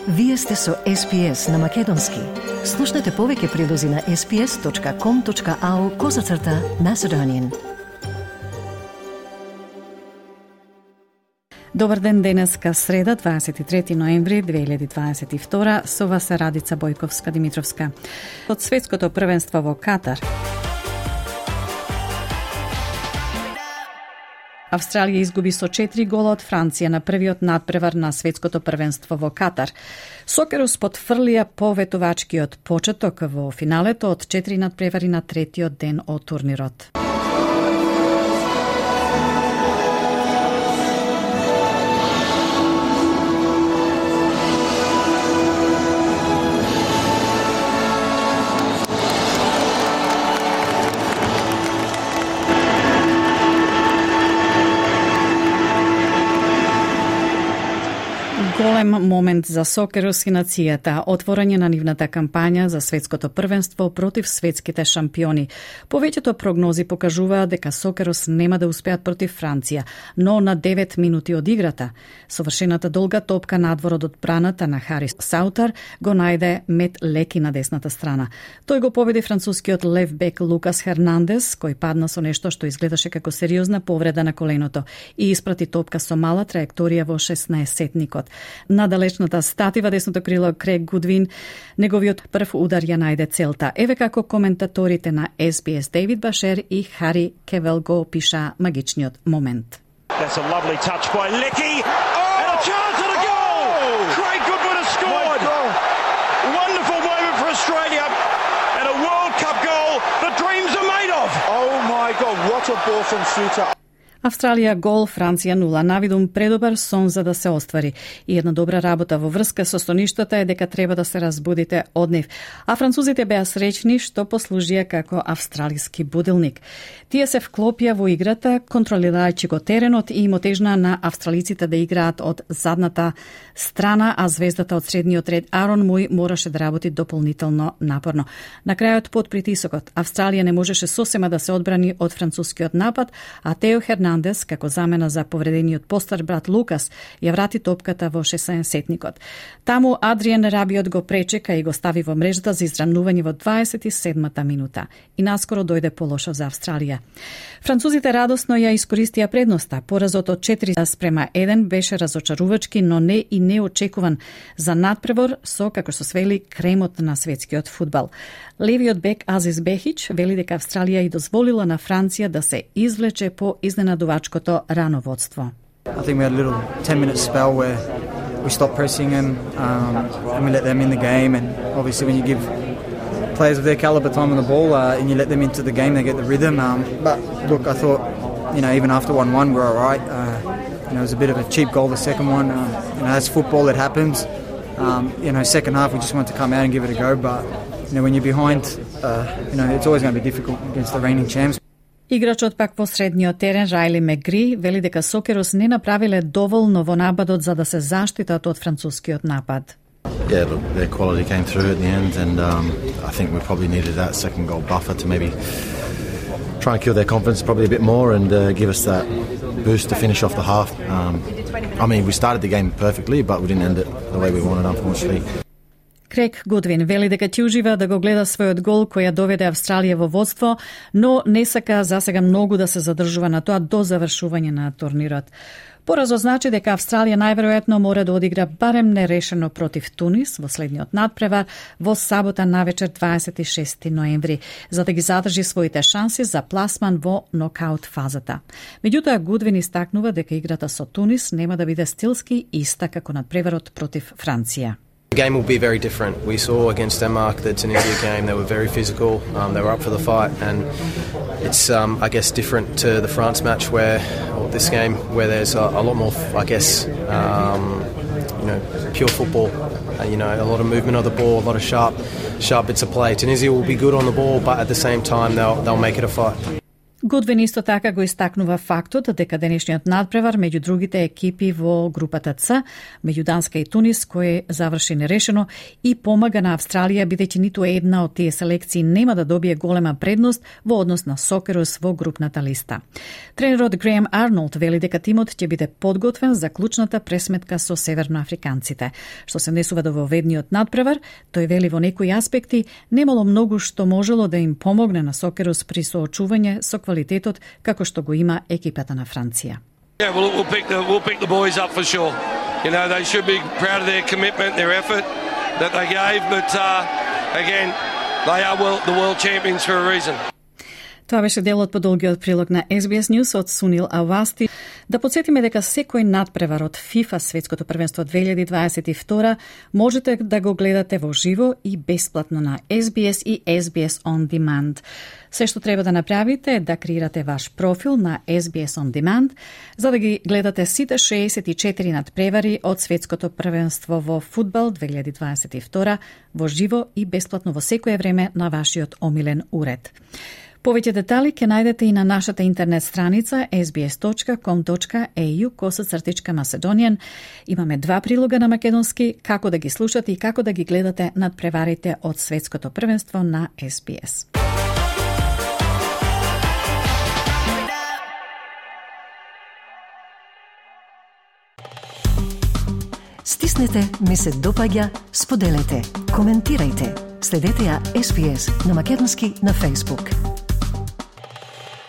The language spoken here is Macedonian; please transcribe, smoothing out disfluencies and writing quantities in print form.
Вие сте со SPS на Македонски. Слушнете повеќе прилози на sps.com.au/Macedonian. Добар ден, денеска среда, 23 ноември 2022, со вас е Радица Бојковска-Димитровска. Од светското првенство во Катар, Австралија изгуби со 4 гола од Франција на првиот надпревар на светското првенство во Катар. Сокерус потфрлија поветувачкиот почеток во финалето од 4 надпревари на третиот ден од турнирот. Голем момент за Сокерус и нацијата, отворање на нивната кампања за светското првенство против светските шампиони. Повеќето прогнози покажуваат дека Сокерус нема да успеат против Франција, но на 9 минути од играта, совршената долга топка надвор од одбраната на Харис Саутар го најде мет леки на десната страна. Тој го победи францускиот лев бек Лукас Хернандес, кој падна со нешто што изгледаше како сериозна повреда на коленото и испрати топка со мала траекторија во 16-сетникот. На далечната статива десното крило Крейг Гудвин, неговиот прв удар ја најде целта. Еве како коментаторите на SBS Дейвид Башер и Хари Кевел го опиша магичниот момент. That's a lovely touch by Leckie. And a chance at a goal! Craig Goodwin has scored! Wonderful moment for Australia. And a World Cup goal the dreams are made of! Oh my God, what a ball from Suter. Австралија гол, Франција 0. Навидум предобар сон за да се оствари. И една добра работа во врска со стоништата е дека треба да се разбудите од нив. А французите беа среќни што послужија како австралиски будилник. Тие се вклопија во играта, контролирајќи го теренот и им отежна на австралиците да играат од задната страна, а звездата од средниот ред Арон Муј мораше да работи дополнително напорно. На крајот под притисокот, Австралија не можеше сосема да се одбрани од францускиот напад, а Тео Хернандес, како замена за повредениот постар брат Лукас, ја врати топката во 16-сетникот. Таму Адриен Рабиот го пречека и го стави во мрежата за изравнување во 27-та минута. И наскоро дојде полошо за Австралија. Французите радосно ја искористија предноста. Поразот од 4-1 беше разочарувачки, но не и неочекуван за надпревор со, како што свели, кремот на светскиот фудбал. Левиот бек Азис Бехич вели дека Австралија и дозволила на Франција да се извлече по изненадувачкото рано водство. I think we had a little 10-minute spell where we stopped pressing them and we let them in the game, and obviously when you give players of their caliber time on the ball and you let them into the game, they get the rhythm. But look, I thought, even after 1-1 we're all right. It was a bit of a cheap goal, the second one. That's football, it happens. Second half we just wanted to come out and give it a go, but when you're behind, it's always going to be difficult against the reigning champs. Играчот пак во средниот терен Райли Мегри вели дека Сокерус не направиле доволно во нападот за да се заштитат од францускиот напад. Yeah, look, their quality came through at the end, and I think we probably needed that second goal buffer to maybe try and kill their confidence probably a bit more and give us that boost to finish off the half. We started the game perfectly, but we didn't end it the way we wanted, unfortunately. Крейг Гудвин вели дека ќе ужива да го гледа својот гол кој ја доведе Австралија во водство, но не сака засега многу да се задржува на тоа до завршување на турнирот. Поразот значи дека Австралија најверојатно мора да одигра барем нерешено против Тунис во следниот надпревар во сабота навечер 26 ноември, за да ги задржи своите шанси за пласман во нокаут фазата. Меѓутоа, Гудвин истакнува дека играта со Тунис нема да биде стилски иста како надпреварот против Франција. The game will be very different. We saw against Denmark, the Tunisia game, they were very physical, they were up for the fight, and it's, different to the France match or this game, where there's a lot more, pure football, a lot of movement of the ball, a lot of sharp bits of play. Tunisia will be good on the ball, but at the same time, they'll make it a fight. Гудвин исто така го истакнува фактот дека денешниот надпревар меѓу другите екипи во групата Ц, меѓу Данска и Тунис, кој заврши нерешено и помага на Австралија бидејќи ниту една од тие селекции нема да добие голема предност во однос на Сокерус во групната листа. Тренерот Греем Арнолд вели дека тимот ќе биде подготвен за клучната пресметка со северноафриканците. Што се однесува до воведниот надпревар, тој вели во некои аспекти немало многу што можело да им помогне на Сокерус при соочување со квалитетот како што го има екипата на Франција. Yeah, we'll pick the boys up for sure. You know, they should be proud of their commitment, their effort that they gave, but again, they are the world champions for a reason. Тоа беше дел од подолгиот прилог на SBS News од Сунил Авасти. Да подсетиме дека секој надпревар од FIFA Светското првенство 2022 можете да го гледате во живо и бесплатно на SBS и SBS On Demand. Се што треба да направите е да креирате ваш профил на SBS On Demand, за да ги гледате сите 64 надпревари од Светското првенство во фудбал 2022 во живо и бесплатно во секое време на вашиот омилен уред. Повеќе детали ќе најдете и на нашата интернет страница sbs.com.au/Macedonian. Имаме 2 прилога на македонски, како да ги слушате и како да ги гледате надпреварите од Светското првенство на SBS. Стиснете, ми се допаѓа, споделете, коментирајте. Следете ја SBS на македонски на Facebook.